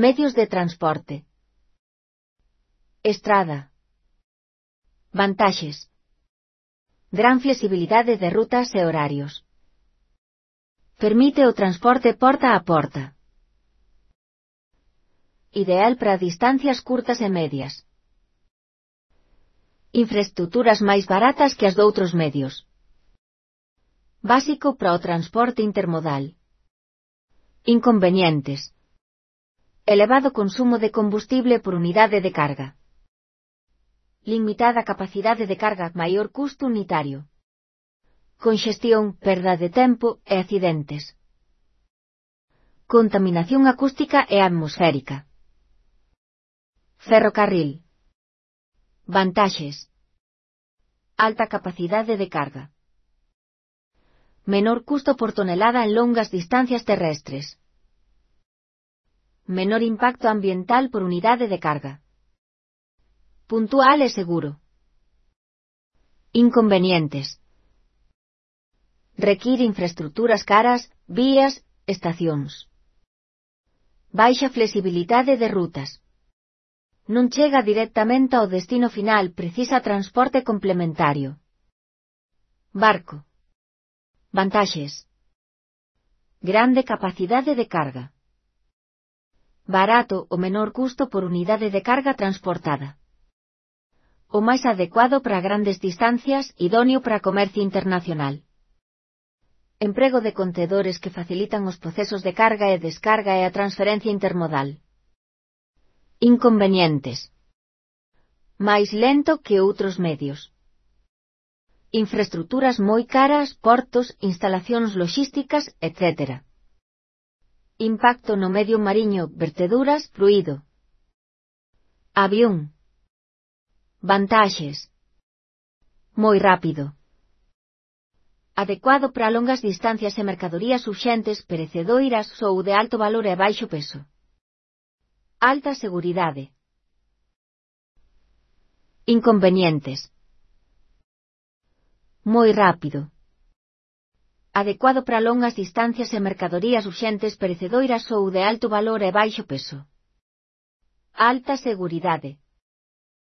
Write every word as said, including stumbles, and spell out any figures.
Medios de transporte. Estrada. Vantaxes. Gran flexibilidade de rutas e horarios. Permite o transporte porta a porta. Ideal para distancias curtas e medias. Infraestruturas máis baratas que as doutros medios. Básico para o transporte intermodal. Inconvenientes. Elevado consumo de combustible por unidade de carga. Limitada capacidade de carga, maior custo unitario. Conxestión, perda de tempo e accidentes. Contaminación acústica e atmosférica. Ferrocarril. Vantaxes. Alta capacidade de carga. Menor custo por tonelada en longas distancias terrestres. Menor impacto ambiental por unidade de carga. Puntual e seguro. Inconvenientes. Require infraestruturas caras, vías, estacións. Baixa flexibilidade de rutas. Non chega directamente ao destino final, precisa transporte complementario. Barco. Vantaxes. Grande capacidade de carga. Barato o menor custo por unidade de carga transportada. O máis adecuado para grandes distancias, idóneo para comercio internacional. Emprego de contedores que facilitan os procesos de carga e descarga e a transferencia intermodal. Inconvenientes. Máis lento que outros medios. Infraestruturas moi caras, portos, instalacións logísticas, etcétera. Impacto no medio mariño, verteduras, fluido. Avión. Vantaxes. Moi rápido. Adecuado para longas distancias e mercadorías urxentes, perecedoiras ou de alto valor e baixo peso. Alta seguridade. Inconvenientes. Moi rápido. Adecuado para longas distancias e mercadorías urxentes, perecedoiras ou de alto valor e baixo peso. Alta seguridade.